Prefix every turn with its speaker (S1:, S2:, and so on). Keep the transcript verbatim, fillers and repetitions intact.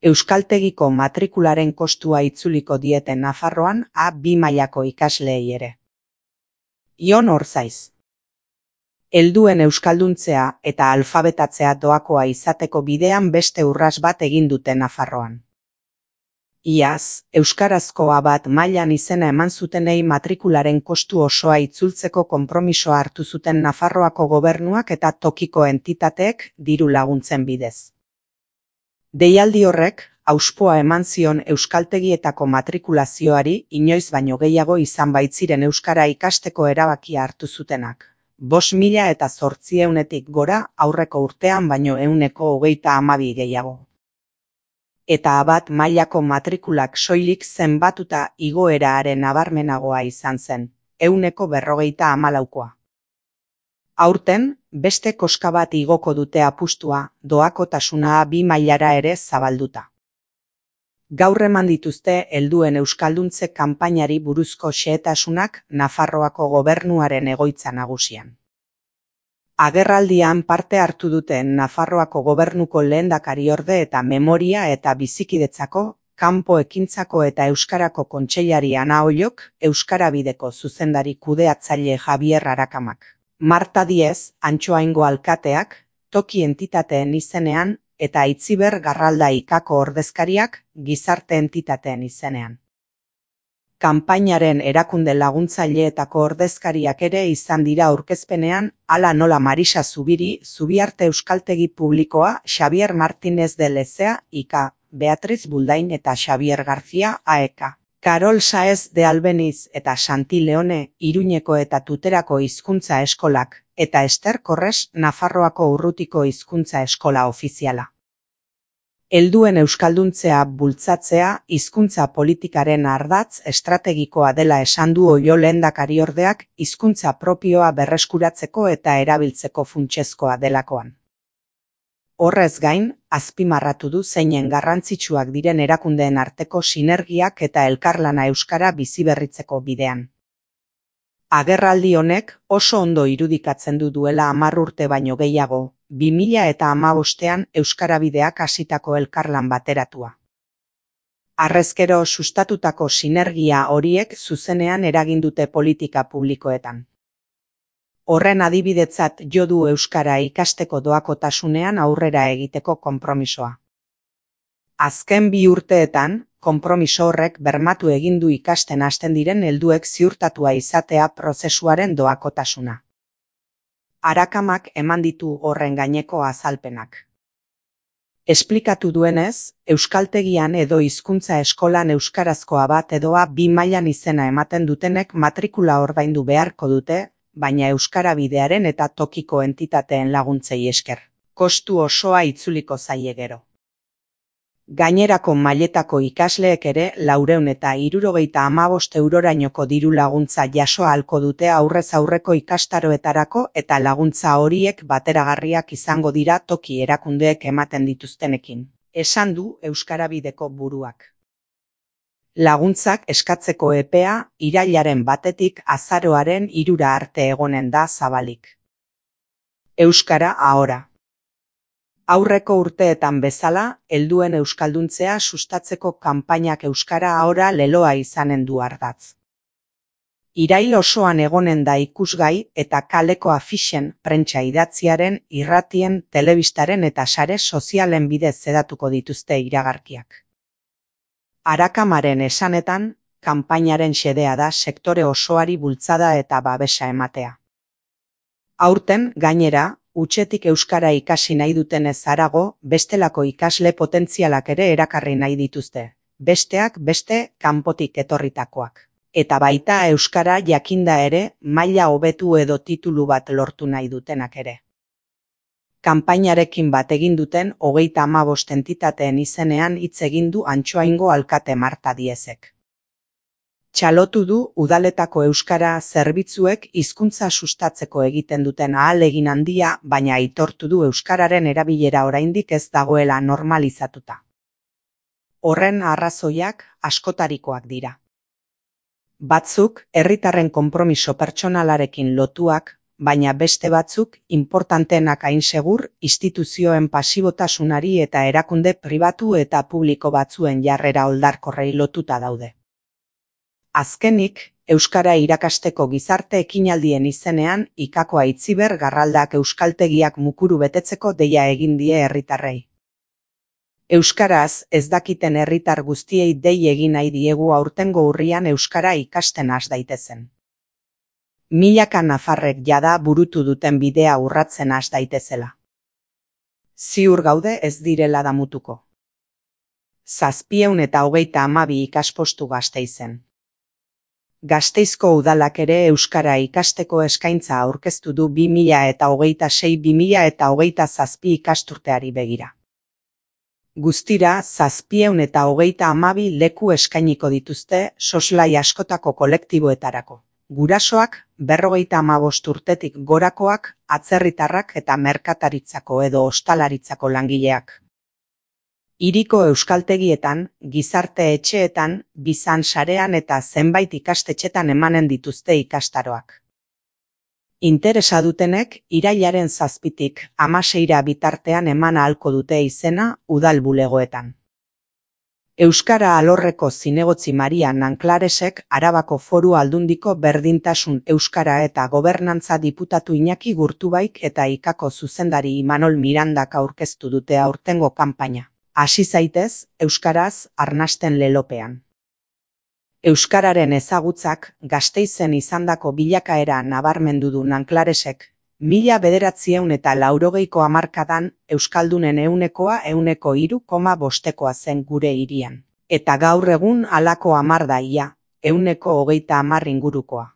S1: Euskaltegiko matrikularen kostua itzuliko diete Nafarroan A bi mailako ikasleei ere. Ion Orzaiz. Helduen euskalduntzea eta alfabetatzea doakoa izateko bidean beste urras bat egin dute Nafarroan. Iaz, euskarazko A bat mailan izena eman zutenei matrikularen kostu osoa itzultzeko konpromisoa hartu zuten Nafarroako gobernuak eta tokiko entitateek diru laguntzen bidez. Deialdi horrek, auspoa eman zion euskaltegietako matrikulazioari inoiz baino gehiago izan baitziren euskara ikasteko erabakia hartu zutenak. Bost mila eta zortziehunetik gora aurreko urtean baino ehuneko hogeita hamabi gehiago. Eta A bat mailako matrikulak soilik zenbatuta igoeraren nabarmenagoa izan zen, ehuneko berrogeita hamalaukoa. Aurten, beste koska bat igoko dute apustua, doakotasuna A bi mailara ere zabalduta. Gaur eman dituzte helduen euskalduntze kanpainari buruzko xehetasunak Nafarroako gobernuaren egoitza nagusian. Agerraldian parte hartu duten Nafarroako gobernuko lehendakariorde eta memoria eta bizikidetzako, kanpo ekintzako eta euskarako kontseilari Ana Ollok, Euskarabideko zuzendari kudeatzaile Javier Arakamak, Marta Diez, Antxoaingo alkateak, toki entitateen izenean, eta Itziber Garralda ikako ordezkariak, gizarte entitateen izenean. Kanpainaren erakunde laguntzaileetako ordezkariak ere izan dira aurkezpenean, hala nola Marisa Zubiri, Zubiarte Euskaltegi Publikoa, Xabier Martínez de Lezea, Ika, Beatriz Buldain eta Xabier García, A E K. Karol Saez de Albeniz eta Santi Leone, Iruñeko eta Tuterako hizkuntza eskolak, eta Ester Korres, Nafarroako Urrutiko hizkuntza eskola ofiziala. Helduen euskalduntzea bultzatzea hizkuntza politikaren ardatz estrategikoa dela esan du Oio lehendakariordeak hizkuntza propioa berreskuratzeko eta erabiltzeko funtsezkoa delakoan. Horrez gain, azpimarratu du zeinen garrantzitsuak diren erakundeen arteko sinergiak eta elkarlana euskara biziberritzeko bidean. Agerraldi honek oso ondo irudikatzen du duela hamar urte baino gehiago, bi mila eta hamabostean euskarabideak hasitako elkarlan bateratua. Harrezkero sustatutako sinergia horiek zuzenean eragin dute politika publikoetan. Horren adibidetzat jo du euskara ikasteko doakotasunean aurrera egiteko konpromisoa. Azken bi urteetan, konpromiso horrek bermatu egin du ikasten hasten diren helduek ziurtatua izatea prozesuaren doakotasuna. Arakamak eman ditu horren gaineko azalpenak. Esplikatu duenez, euskaltegian edo hizkuntza eskolan euskarazkoa bat edo A bi mailan izena ematen dutenek matrikula ordaindu beharko dute, baina euskarabidearen eta tokiko entitateen laguntzei esker. Kostu osoa itzuliko zaie gero. Gainerako mailetako ikasleek ere laurehun eta hirurogeita hamabost eurorainoko diru laguntza jaso ahalko dute aurrez aurreko ikastaroetarako eta laguntza horiek bateragarriak izango dira toki erakundeek ematen dituztenekin, esan du Euskarabideko buruak. Laguntzak eskatzeko epea irailaren batetik azaroaren hirura arte egonen da zabalik. Euskara ahora. Aurreko urteetan bezala, helduen euskalduntzea sustatzeko kanpainak euskara ahora leloa izanen du ardatz. Irail osoan egonen da ikusgai eta kaleko afixen, prentsa idatziaren, irratien, telebistaren eta sare sozialen bidez zedatuko dituzte iragarkiak. Arakamaren esanetan, kanpainaren xedea da sektore osoari bultzada eta babesa ematea. Aurten, gainera, hutsetik euskara ikasi nahi dutenez harago, bestelako ikasle potentzialak ere erakarri nahi dituzte, besteak beste kanpotik etorritakoak. Eta baita euskara jakinda ere, maila hobetu edo titulu bat lortu nahi dutenak ere. Kanpainarekin bat egin duten hogeita hamabost entitateen izenean hitz egin du Antxoaingo alkate Marta Diezek. Txalotu du udaletako euskara zerbitzuek hizkuntza sustatzeko egiten duten ahalegin handia, baina aitortu du euskararen erabilera oraindik ez dagoela normalizatuta. Horren arrazoiak askotarikoak dira. Batzuk, herritarren konpromiso pertsonalarekin lotuak, baina beste batzuk, importanteenak hain segur, instituzioen pasibotasunari eta erakunde pribatu eta publiko batzuen jarrera oldarkorrei lotuta daude. Azkenik, euskara irakasteko gizarte ekinaldien izenean, Ikako Aitziber Garraldak euskaltegiak mukuru betetzeko deia egin die herritarrei. Euskaraz ez dakiten herritar guztiei dei egin nahi diegu aurtengo urrian euskara ikasten has daitezen. Milaka nafarrek jada burutu duten bidea urratzen has daitezela. Ziur gaude ez direla damutuko. Zazpieun eta hogeita hamabi ikaspostu Gasteizen. Gasteizko udalak ere euskara ikasteko eskaintza aurkeztu du bi mila eta hogeita sei bi mila eta hogeita zazpi ikasturteari begira. Guztira, zazpieun eta hogeita hamabi leku eskainiko dituzte soslai askotako kolektiboetarako. Gurasoak, berrogeita hamabost urtetik gorakoak, atzerritarrak eta merkataritzako edo ostalaritzako langileak. Hiriko euskaltegietan, gizarte etxeetan, bizan sarean eta zenbait ikastetxetan emanen dituzte ikastaroak. Interesa dutenek, irailaren zazpitik hamaseira bitartean eman ahalko dute izena udal bulegoetan. Euskara alorreko zinegotzi Maria Nanklaresek Arabako Foru Aldundiko Berdintasun Euskara eta Gobernantza diputatu Iñaki Gurtubaik eta Ikako zuzendari Imanol Mirandak aurkeztu dute aurtengo kanpaina. Hasi zaitez, euskaraz arnasten lelopean. Euskararen ezagutzak Gasteizen izandako bilakaera nabarmendu du Nanklaresek, mila bederatziehun eta laurogeiko hamarkadan euskaldunen ehunekoa ehuneko hiru koma bostekoa zen gure hirian. Eta gaur egun halako hamar da ia, ehuneko hogeita hamar ingurukoa.